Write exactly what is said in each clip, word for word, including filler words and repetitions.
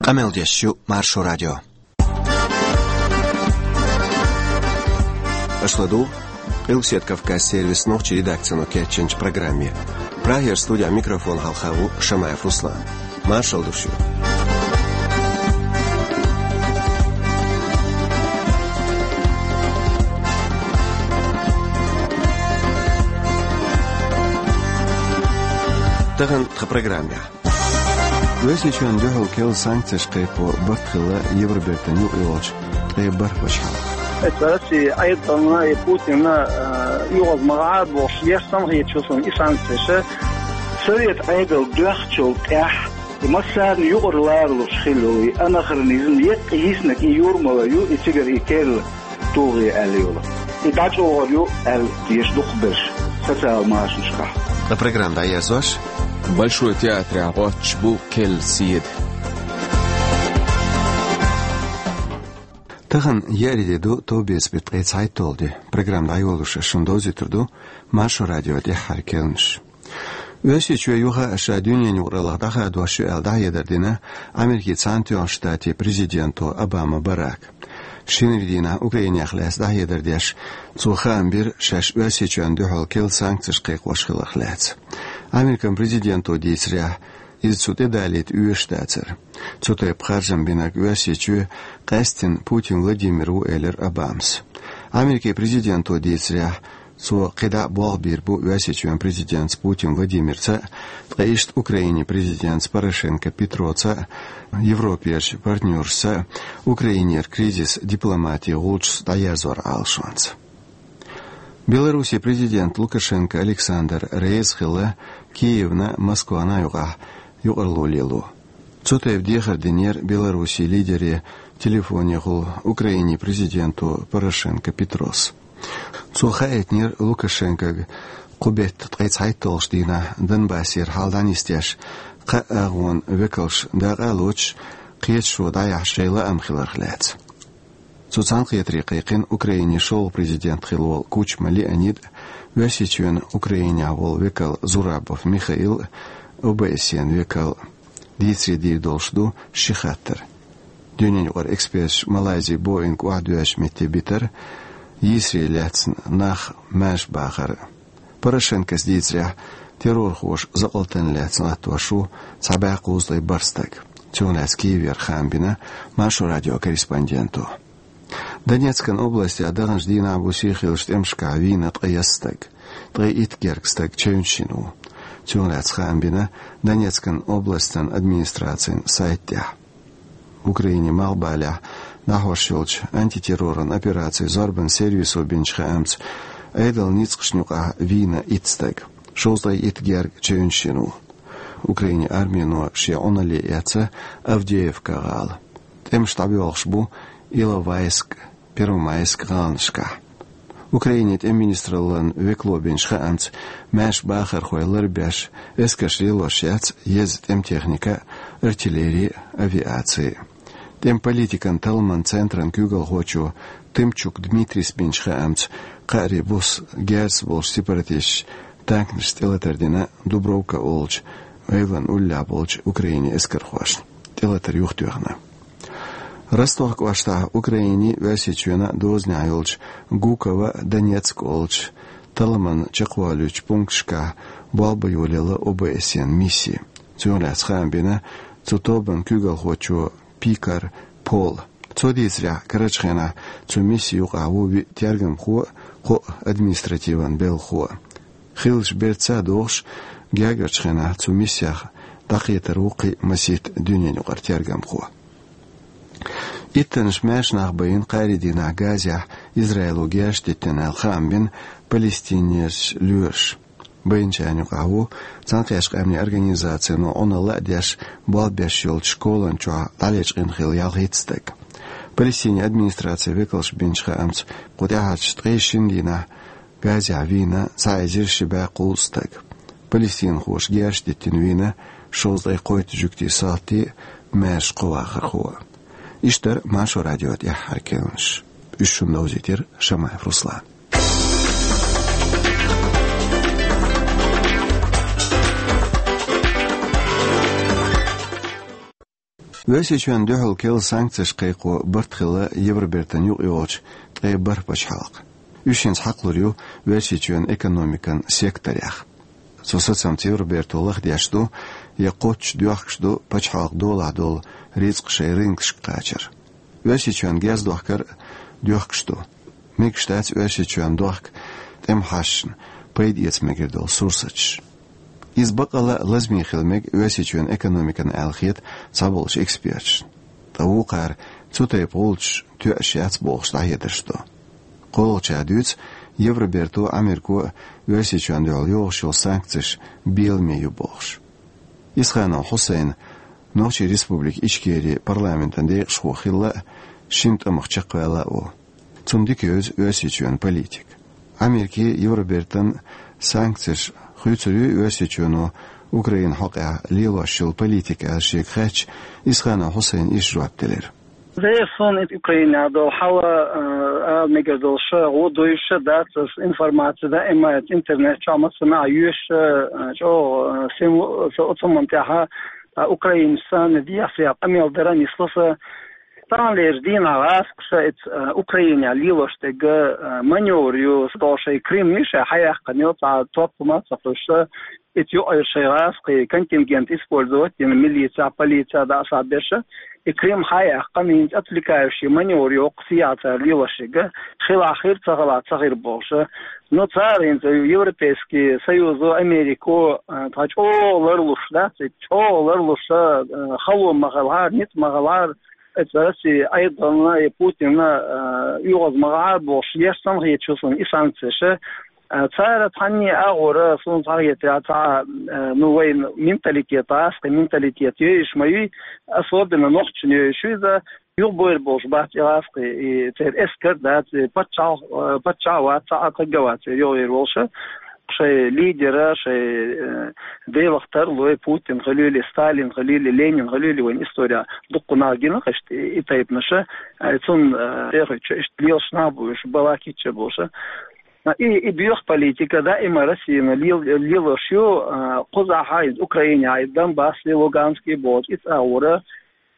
Къамел деш ю Маршо радио. Аша ладугӀу Къилбаседа Кавказан сервисан нохчийн редакцино кечйинчу программе. Прагера студехь микрофон хьалха ву Шамаев Руслан. Маршалла ду шуьга. Тахана тхан программехь. Оьрсийчоьнна дуьхьал керла санкцеш кхайкхо барт хилла Евробертан юкъайолчу ткъе бархӀ ваша хьалха. Эцу Россия Ӏедална и Путинна, а, юха ма гӀа бохуш, еш санна хеташ ю суна и санкцеш. Совет Ӏедал доьхначул тӀаьхьа и массарна юкъара ларалуш хилла йолу и анахронизм, еккъа йиснарг и юрмала ю, и цигара и керла тулгӀе аьлла йолу. И дӀачӀогӀур ю аьлла, деш дукхахберш социал машанашкахь. Ткъа программа дӀаерзош, Большой театрехь гӀоттуш бу керла седа. Тахана еарин де ду, товбеца беттан ткъе цхьайтталгӀа де. Программа дӀайолош ас шуна довзуьйтур ду Маршо радион тӀаьххьара керланаш. Оьрсийчоь юха а ша дуьненан юкъараллах дӀахадош ю аьлла дӀахьедар дина Америкин Цхьаьнатоьхначу Штатийн президенто Обама Барака. Шинарин дийнахь Украинех лаьцна дӀахьедар деш, цо хаам бира шаьш Оьрсийчоьнна дуьхьал керла санкцеш кхайкхош хиларх лаьцна. Американ президенто дийцарехь, иза цу тӀедалийта оьшуш дацара. Цу тайпа харжам бинарг Оьрсийчоь къаьсттина Путин Владимир ву, элира Обамас. Америкин президенто дийцарехь, цо кхидӀа а болх бийр бу Оьрсийчоьнан президентаца Путин Владимирца а, ткъа иштта Украинин президентаца Порошенко Петроца а, Европерчу партнершца а Украинера кризис дипломатин гӀулчашца дӀаерзоран Ӏалашонца. Беларусин президент Лукашенко Александр реза хилла Киевна а, Москвана а юкъахь юкъаралла лело. Цу тайпа дехар динера Беларусин лидере телефонехула Украинин президенто Порошенко Петрос. Цо хаийтинера Лукашенкога кху беттан ткъе цхьайтталгӀачу дийнахь Донбассера хьал дӀанисдеш, кхаа агӀонан векалш дакъа а лоцуш, кхеташо дӀаяхьаш шайн лаам хиларх лаьцна. Цу цхьаьнакхетаре кхайкхина Украинин шолгӀа президент хилла волу Кучма Леонид а, Оьрсийчоьнан Украинехь волу векал Зурабов Михаил а, О Б С Н векал а. Дийцаре дийр долуш ду ши хаттар: дуьненан юкъара эксперташа Малайзин Боинг охьадоьжначу метте битар, йийсаре лаьцна нах маьрша бахар. Порошенкос дийцарехь, террорхоша закъалтана лаьцна латтош ву цхьа бӀе кхузткъе бархӀ стаг. Цунах лаьцна Киевера хаам бина Маршо радион корреспонденто. Донецкан областехь даханчу дийнахь бу сий хиллачу тӀемашкахь вийна ткъе ялх стаг. Ткъе итт гергга стаг чевнаш йина ву. Цунах лаьцна хаам бина Донецкан областан администрацин сайта тӀехь. Украинин малхбалехь дӀахьош йолчу антитерроран операцин зорбанан сервисо бинчу хаамца, Ӏедалан ницкъашна юкъахь вийна итт стаг, шовзткъе итт гергга чевнаш йина ву. Украинин армино шен Ӏуналле эцна Авдеевка гӀала. ТӀемаш дӀабоьлхуш бу Иловайск, Первомайск гӀаланашкахь. Украинин тӀеман министраллан векало бинчу хаамца, маьрша бахархой ларбеш, эскарш лелош яц еза тӀеман техника а, артиллери а, авиаци а. ТӀеман политикан талламан центран куьйгалхочо Тымчук Дмитрис бинчу хаамца, кхаарин буса герзаца болчу сепаратисташа танкашца тӀелатар дина Дубровка олучу эвлан уллехь болчу Украинин эскархошна. ТӀелатар юхатоьхна. Ростов кӀоштахь Украинин а, Оьрсийчоьнан а дозанехь йолчу Гуково, Донецк олучу талламан чекхвалуьйтучу пункташкахь болх бан йолаелла О Б С Н мисси. Цунах лаьцна хаам бина цу тобанан куьйгалхочо Пикар Пола. Цо дийцарехь, карарчу хенахь цу мисси юкъахь ву виъ тергамхо а, кхоъ административан белхахо а. Хиллачу бертаца а догӀуш, гергарчу хенахь цу миссех дӀакхетар ву кхин а масийтта дуьненан юкъара тергамхо. Иттаннаш маьрша нах байина кхаарин дийнахь Газехь Израило герзаш диттина аьлла хаам бина Палестинерчу лоьраша. Байначарна юкъахь ву Цхьаьнакхеттачу Къаьмнийн Организацино Ӏуналла а деш, болх беш йолчу школан чохь дӀалечкъина хилла ялхитта стаг. Палестинан администрацин векалша бинчу хаамца, кху тӀаьхьарчу ткъе шина дийнахь Газехь вийна цхьа эзар ши бӀе кхузткъа стаг. Палестинхоша герзаш диттина вийна шовзткъе кхойтта жуьгтийн салти а, маьрша кхо вахархо а. Иштта дара Маршо радион тӀаьххьара керланаш. Уьш шуна довзийтира Шамаев Руслана. Оьрсийчоьнна дуьхьал керла санкцеш кхайкхо барт хилла Евробертан юкъа йолчу ткъе бархӀ пачхьалкхан. Уьш хӀинца хьакхалур ю Оьрсийчоьнан экономикан секторех. Цу сацамца Евроберто лахдеш ду, я кхоччуш доьхкуш ду пачхьалкхан долахь долу рицкъ шайн рынкашка кхачар. Оьрсийчоьнна герз дохкар а доьхкуш ду. Мегаш дац Оьрсийчоьнна дохка тӀеман хьашташна пайда эца мегар долу сурсаташ. Иза бакъалла а лазаме хила мега Оьрсийчоьнан экономикана аьлла хета цхьаболчу эксперташна. Ткъа вукхара цу тайпа гӀулчаш тоьаш яц бохуш дӀахьедарш до. КхоалгӀачара дуьйцу, Евроберто а, Ӏамерко а Оьрсийчоьнна дуьхьал йогӀуш йолу санкцеш беламе ю бохуш. Исханов Хьусайн Нохчийн Республика Ичкери парламентан декъашхо хилла а, шина тӀамах чекхваьлла а ву. Цунна дика евза Оьрсийчоьнан политика. Ӏамеркин, Евробертан санкцеш хуьйцур юй Оьрсийчоьно Украина хьокъехь лелош йолу политика аьлла шега хаьттича, Исханов Хьусайна иштта жоп делира. Дера суна и Украинехь долу хьал, а, ала мегар долуш, гӀо дуьйш дац аса информаци даима интернет чохь массанхьа йоьшу, а, чӀогӀа, а, сим-, со-, оцу хӀуманна тӀехь, а, Украинашца дехьа-сехьа къамел дара нисло сан. Таханлерчу дийнахь гӀазкхаша эца, а, Украинехь лелош дерг, а, маневр ю, со шайн Крым миша хьаяьккхина йо, цхьа топ хӀума а ца кхуьссуш, эца юкъара шайн гӀазкхийн контингент использовать дина, милицехь, полицехь дӀа а схьаберш, и Крым хьаяьккхина, хӀинца отвлекающий маневр ю, хӀокху сехьа цара лелош ерг, хилахь хир, ца хилахь ца хир бохуш. Ну, цара хӀинца Европейский Союзо, Америко, а, тхан чӀогӀа ларлуш дац, и чӀогӀа ларлуш, а, хало ма хилахьара, ницкъ ма хилахьара, эца Россия Айдана и Путина, а, оьгӀаз ма гӀара бохуш, еш санна хеташ ю суна и санкцеш. А, цара цхьанне а агӀора, суна цхьа хетарехь, цхьа, а, ну, вайн менталитет, гӀазкхийн менталитет йойуш ма юй, особенно нохчашна йойуш ю иза, юхабойр болуш бац и гӀазкхий, и церан эскар дац, и паччахь, а, паччахь вац, цхьа а таг а вац, церан йогӀур волуш. Шайн лидера, шайн, э, Делах тарлой, Путин хуьлийла, Сталин хуьлийла, Ленин хуьлийла, вайн история дуккха нах гина иштта и, и тайпанаш, э, цунна, э, тӀехуьйтуш иштта лелаш нах бу уьш, балакитча болуш. И, и боьха политика даима Россияна лел-, лелош ю, э, кхузахь а иза Украинехь а, иза Донбасс, Луганский бохучу, иза агӀора.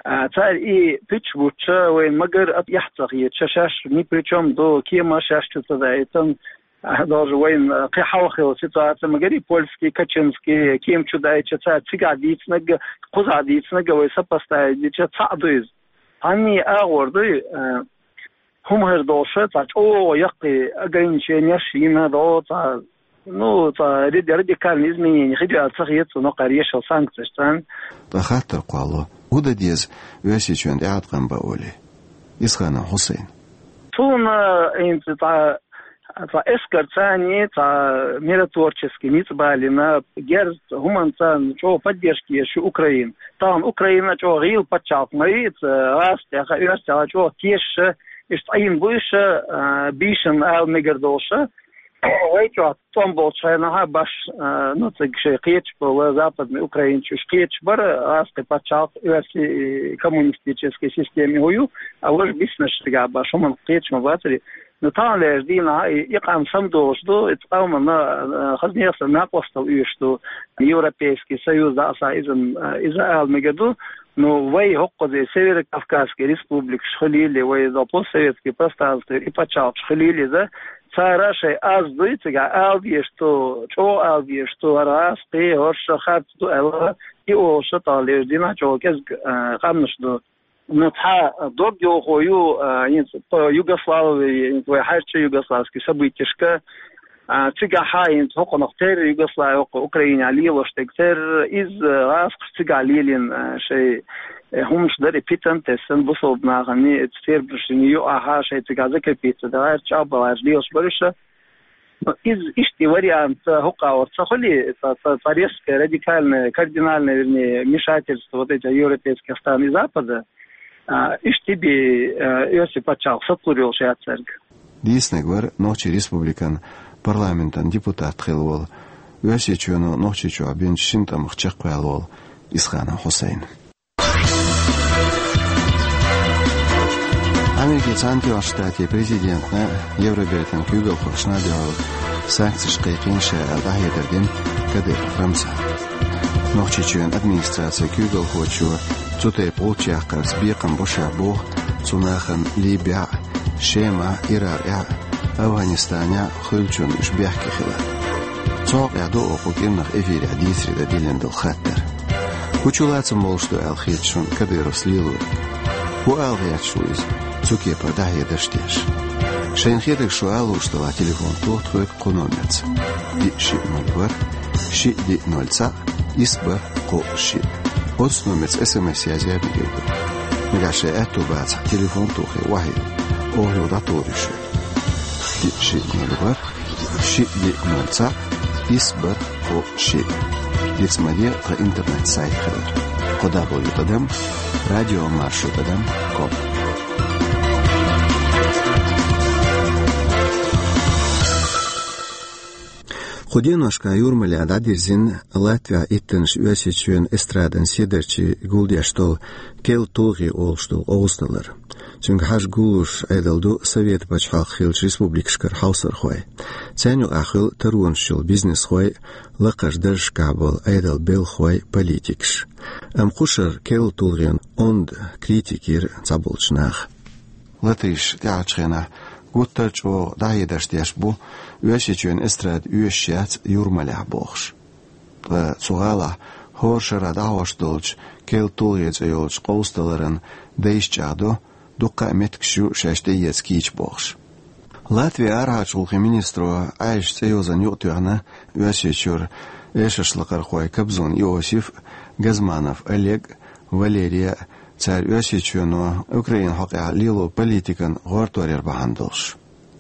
А, цара и пуьташ буттуш, вайна магар а эхь ца хеташ, шаьш ни при чём ду, кема шаьш чу ца даийтина, а, даже вайна, а, кхин хьалха хилла ситуация, магар и польский, качинский кема чу даийтича, цара цигахь дийцинарг, кхузахь дийцинарг вай сопоставить дича, цхьаъ ду иза. Цхьанне а агӀор дуй, а, хӀума хир долуш, цхьа чӀогӀа яккхий ограниченеш йина до, цхьа, ну, цхьа ради-, радикальный изменение хир ю аьлла ца хета суна кхара ешал санкцеш царна. Ткъа хаттар кхоллало, хӀун дан деза Оьрсийчоьнна тӀеӀаткъам бан олий? Исханов Хьусайн. Суна, хӀинца, цхьа, цхьа эскар царний, цхьа миротворческий ницкъ балийна, герз хӀуманца чӀогӀа поддержка езаш ю Украина. Тахана Украина чӀогӀа гӀийла пачхьалкх ма ю, иза гӀазкхех а, оьрсех а чӀогӀа тешаш, иштта Ӏийна бу уьш, а, бийшина ала мегар долуш. Вай чохь тӀом болчу хенахь а баш, а, ну, цига шайн кхеташ болу западный украинцаш уьш кхеташ бара, гӀазкхийн пачхьалкх, оьрсийн коммунистический система хӀун ю, а важа биснарш цигахь баш, хӀуманах кхеташ ма бацара. Ну, таханлерчу дийнахь а и, и къам самадолуш ду, иза къомана, а, хаза нехан накъосталла оьшуш ду, Европейский Союз дӀа а схьа иза, а, иза ала мегар ду. Ну, вай хӀокхуза Северо-Кавказский республикаш хуьлийла, вай иза постсоветский пространствера и пачхьалкхаш хуьлийла иза, цара шайн аз дуй цигахь ала дезаш ду, чӀогӀа ала дезаш ду, хӀара гӀазкхий, хӀорш харц ду аьлла, и олуш таханлерчу дийнахь чӀогӀа кӀезиг, а, къаьмнаш ду. Ну, цхьа дог йохо ю, а, хӀинца по Югославии, хӀинца вай хьаьрча югославский событешка, а, цигахь хӀинца хӀокхунах терра Югослави, хӀокху Украинехь лелош дерг терра, иза, а, гӀазкхаша цигахь лелийна, а, шайн, э, хӀуманаш дара, и питана тесна бусалба нахана, и тербанашна юкъахь шайн цигахь закрепиться дара, чӀагӀбаларш лелаш бара уьш. Но иза иштта и вариант, а, хӀокху агӀор ца хуьлий, ца, ца, ца резкое, радикальное, кардинальное, вернее, вмешательство вот этих европейских стран и Запада, а, иштта и бен, а, оьрсийн пачхьалкх сацалур йолуш яц цаьрга. Дийцинарг вара Нохчийн Республикан парламентан депутат хилла волу, Оьрсийчоьно Нохчийчохь бинчу шина тӀамах чекхваьлла волу Исханов Хьусайн. Америкин Цхьаьнатоьхначу Штатийн президентна Евробертан куьйгалхошна а дуьхьал санкцеш кхайкхийна ша аьлла дӀахьедар дина Кадыров Рамзана. Нохчийчоьнан администрацин куьйгалхочо цу тайпа гӀулч яккхарца бекхам бу шаьш боху цу нахана Либехь а, Шемахь а, Иракъехь а, АфгӀанистанехь а хуьлучунна уьш бехке хилар. Цу хьокъехь ду оха кху кӀиранах эфирехь дийцаре дан диллина долу хаттар. ХӀун чулацам болуш ду аьлла хета шуна Кадыровс лелориг? ХӀун ала гӀерташ ву иза, цу кепара дӀахьедарш деш? Шайна хетарг шу ала лууш делахь, телефон тоха тхоьга кху номерца: диъ шиъ ноль ворхӀ, шиъ диъ ноль цхьаъ, исс бархӀ кхоъ шиъ. Оцу номерца СМС язъян а мегар ду. Нагахь шайн аьтто бацахь, телефон а тохий, охьайилла, оха юха дӀатухур ю шуьга. Диъ шиъ ноль ворхӀ, шиъ диъ ноль цхьаъ, исс бархӀ кхоъ шиъ. Диц ма де, тхан интернет-сайт хилар: кхо дабл ю тӀадам радио маршо тӀадам ком. Кху деношкахь Юрмалехь дӀадирзина Латвехь иттанаш Оьрсийчоьнан эстрадан седарчий гулдеш долу «Кел тулгӀе» олуш долу къовсадалар. Цуьнга хьажа гуллуш Ӏедал ду Совет пачхьалкх хиллачу республикашкара хьовсархой. Царна юкъахь хуьлу таронаш йолу бизнесхой, лакхарчу даржашкахь болу Ӏедалан белхахой, политикаш. Амма кху шарахь «Кел тулгӀен» онда критика йира цхьаболчу наха. Латышна тӀаьхьарчу хенахь гуттар а чӀогӀа дӀахьедарш деш бу, Оьрсийчоьнан эстрада оьшуш яц Юрмалехь бохуш. Ткъа цу гӀалахь хӀора шарахь дӀахьош долчу «Кел тулгӀе» цӀе йолчу къовсадаларан дайша чӀагӀдо, дуккха а меттигаш ю шаьш тӀеэца кийча бохуш. Латвин арахьарчу гӀуллакхийн министро Ӏаьржачу цӀе йозанна юкъатоьхна Оьрсийчуьра эшаршлакхархой Кобзон Иосиф а, Газманов Олег а, Валерий а. Цара Оьрсийчоьно Украинан хьокъехь лелочу политикан гӀортор яр бахьана долуш.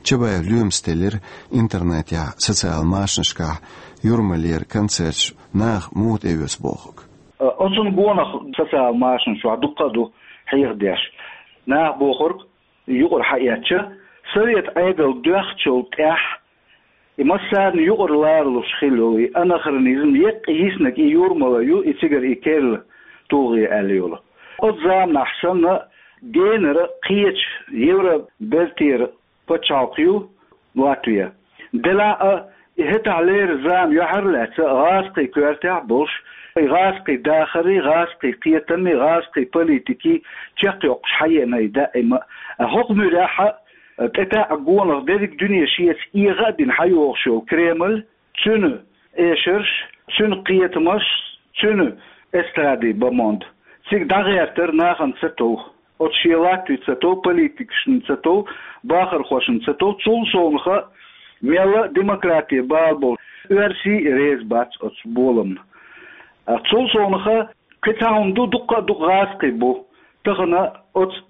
Чабаев Лоьмас теллира интернетехь, социал машанашкахь Юрмалера концерташ наха муха тӀеоьцу бохург. Оцунна гонах социал машанаш чохь дуккха а ду хьехадеш. Наха бохург, юкъара хьаэцча, совет Ӏедал доьхначул тӀаьхьа и массарна юкъара ларалуш хилла йолу и анахронизм, еккъа йиснарг и Юрмала ю, и цигара и «Кел тулгӀе» аьлла йолу. Оцу заманахь санна, генара кхечу Евробертера пачхьалкх ю Латвия. Делахь а, и хӀетахьлера зама юьхьарлаьцна гӀазкхийн коьртехь а болуш, и гӀазкхийн дахарий, гӀазкхийн кхетамий, гӀазкхийн политикий чекхйоккхуш хьаеана и даима а. ХӀокху муьрехь а, тӀетаьӀа гонах дерриг дуьне шеца эгӀа а дина хьайогӀуш йолу Кремль, цуьнан эшарш, цуьнан кхетамаш, цуьнан эстрадин бомонд. Цига дӀагӀертар нахана ца тов. Оцу шен латвийца ца тов, политикашна ца тов, бахархошна ца тов, цул совнаха мелла а демократи бала болу оьрсий а реза бац оцу боламна. А цул совнаха кхин цхьа хӀума ду, дуккха а дукха гӀазкхий бу. Тахана оцу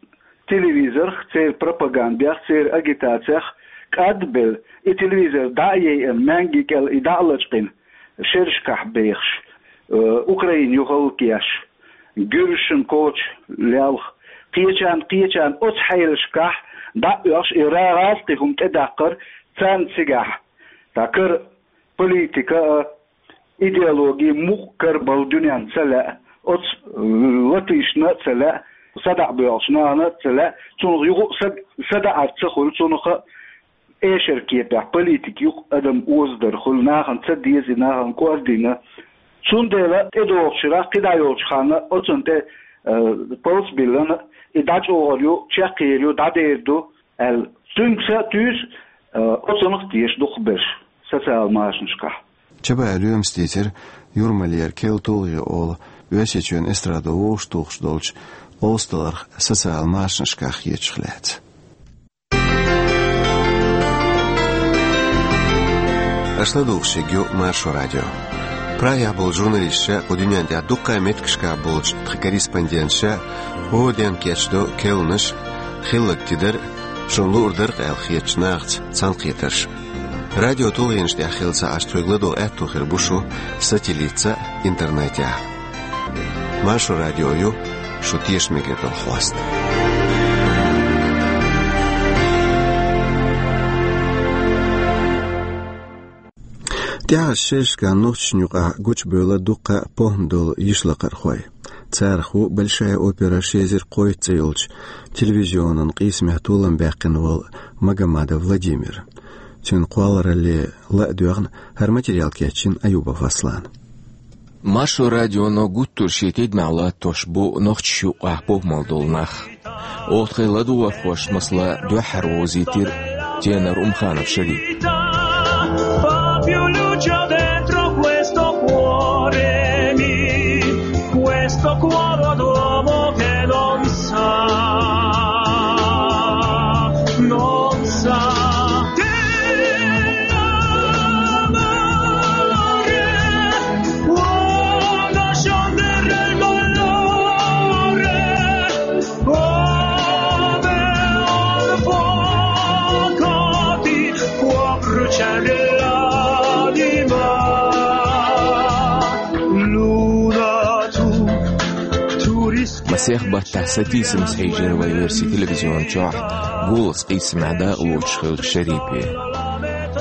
телевизорх, церан пропагандех, церан агитацех кӀадбелла, и телевизор дӀа а яйъина, маьнги кӀел и дӀа а лачкъийна, шерашкахь бехаш, э, Украина юхалкъеш, гуьржашна коча лелха, кхечарна, кхечарна оцу хьелашкахь дӀа а оьхуш, и ра гӀазкхий хӀума тӀедаккхар царна цигахь. Цхьа кара политика а, идеологи мукъа кара болу дуьненна ца лаьа, оцу латышна а ца лаьа, садаӀа боьлхучу нахана а ца лаьа, цунах юха а са, садаӀар ца хуьлу, цунах а эшар кепехь политика юкъа адам озадар хуьлу, нахана ца деза и, нахана кӀордийна. Цундела тӀедогӀучу шарахь кхидӀа йолчу ханна оцунна тӀе, э, палц биллина, и дӀачӀогӀур ю, чекхйийр ю, дӀадер ду аьлла. Цуьнга са а туьйсу, э, оцунах а теша дукхахберш социал машанашкахь. Чабаев Лоьмас дийцира, Юрмалера «Кел тулгӀе» олу Оьрсийчоьнан эстрадо вовшахтухуш долчу къовсадаларх социал машанашкахь хетарх лаьцна. Аша ладугӀуш ерг ю Маршо радио. Прагехь болчу журналисташа, кху дуьнен тӀехь дуккха а меттигашкахь болчу тхан корреспонденташа хӀора денна кечдо керланаш, хилларг тидар, шуна луур дара-кх аьлла хетачу нахаца цхьаьнакхетарш. Радио тулгӀенаш тӀехь хилла ца Ӏаш, тхоьга ладогӀа аьтто хир бу шу сателлитца а, интернетехь а. Маршо радио ю шу тешаме мегар долу хьоста. ТӀаьхьарчу шерашкахь нохчашна юкъахь гучубевлла дуккха а похӀма долу йишлакхархой. Царах ву «Большая опера ши эзар кхойтта» цӀе йолчу телевизионан къийсамехь толам баьккхина волу Магомадов Владимир. Цуьнан кхолларалле ла а доьгӀна, хӀара материал кечйина Аюбов Аслана. Маршо радионо гуттар ший тидамехь латтош бу нохчашна юкъахь бохамал долу нах. Оха тхайн ладугӀархошна масала дуьххьара вовзийтира тенор Умханов Шарип. Papio lucio dentro questo cuore mio, questo cuore d'uomo che non sa, non sa che l'amore può nascondere il dolore come un fuoco ti può bruciare l'anima. Luna tu, tu rischi Масех баттахь сатийсамца хьийжира вай оьрсийн телевизион чохь «Голас» къийсамехь дакъалоцуш хиллачу Шарипе.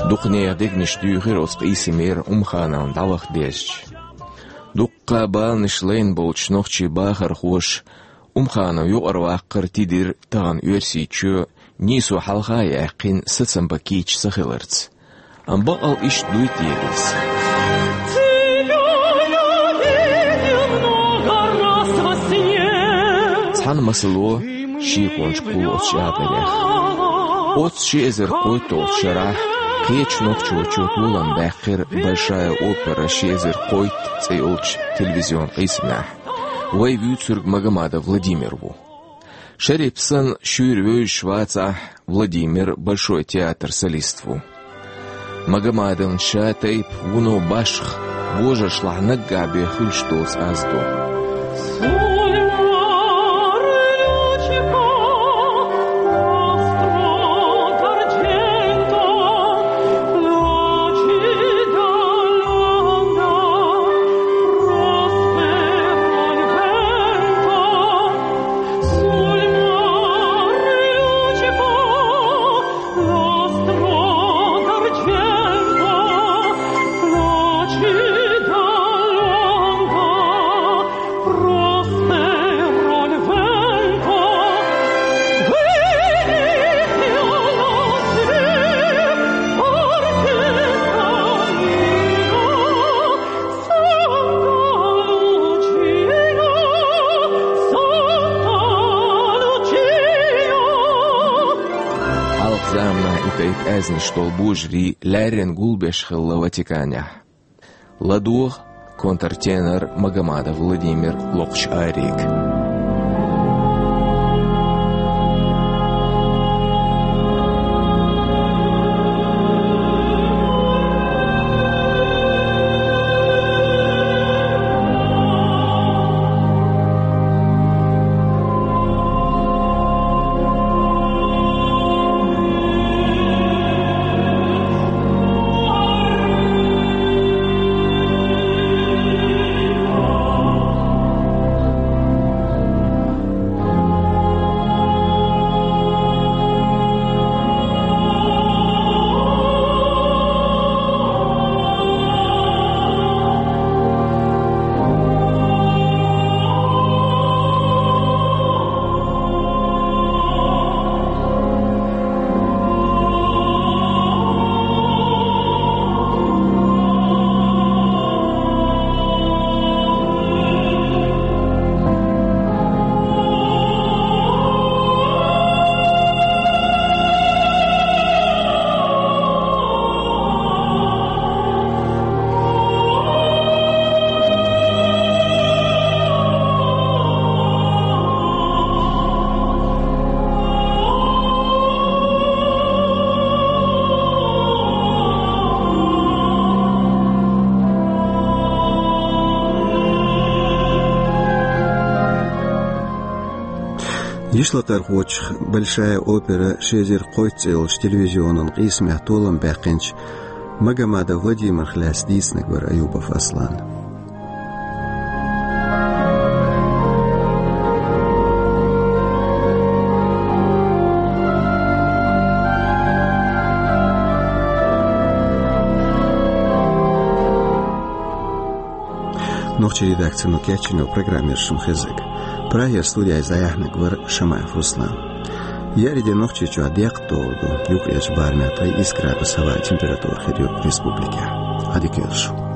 Дукха нехан дегнаш дуьйхира оцу къийсамера Умхановна дӀаваха дезча. Дуккха баланаш лайна болчу нохчийн бахархоша Умханов юкъараваккхар тидира тахана Оьрсийчоь нийсо хьалха а яьккхина сацам бан кийча ца хиларца. Амма баккъал иштта дуй те иза? Цхьана масало шеконаш кхуллучу чӀагӀдарехь. Оццу ши эзар кхойтталгӀачу шарахь кхечу нохчочо толам баьккхира «Большая опера ши эзар кхойтта» цӀе йолчу телевизион къийсамехь. Вай вуьйцург Магомадов Владимир ву. Шарип санна шуьйра вевзаш вацахь, Владимир Большой театр солист ву. Магомадовна ша тайпа вуно башха, божаршлахь наггахь бен хуьлуш доцу аз ду. Хьалха заманахь и тайпа аьзнаш долу божарий лаьррина гулбеш хилла Ватиканехь. ЛадогӀа контртенор Магомадов Владимир локхучу арега. Йишлакхархочух «Большая опера ши эзар кхойтта» цӀе йолчу телевизионан къийсамехь толам баьккхинчу Магомадов Владимирах лаьцна дийцинарг вара Аюбов Аслан. Нохчийн редакцино кечйина программа яра шуна хезнарг. Прагера студехь иза дӀаяьхьнарг вара Шамаев Руслан. Еарин де Нохчийчохь декхат догӀур ду, юккъерчу барамехь ткъе исс градус хӀаваан температура хир ю республикехь. Ӏадика йойла шу.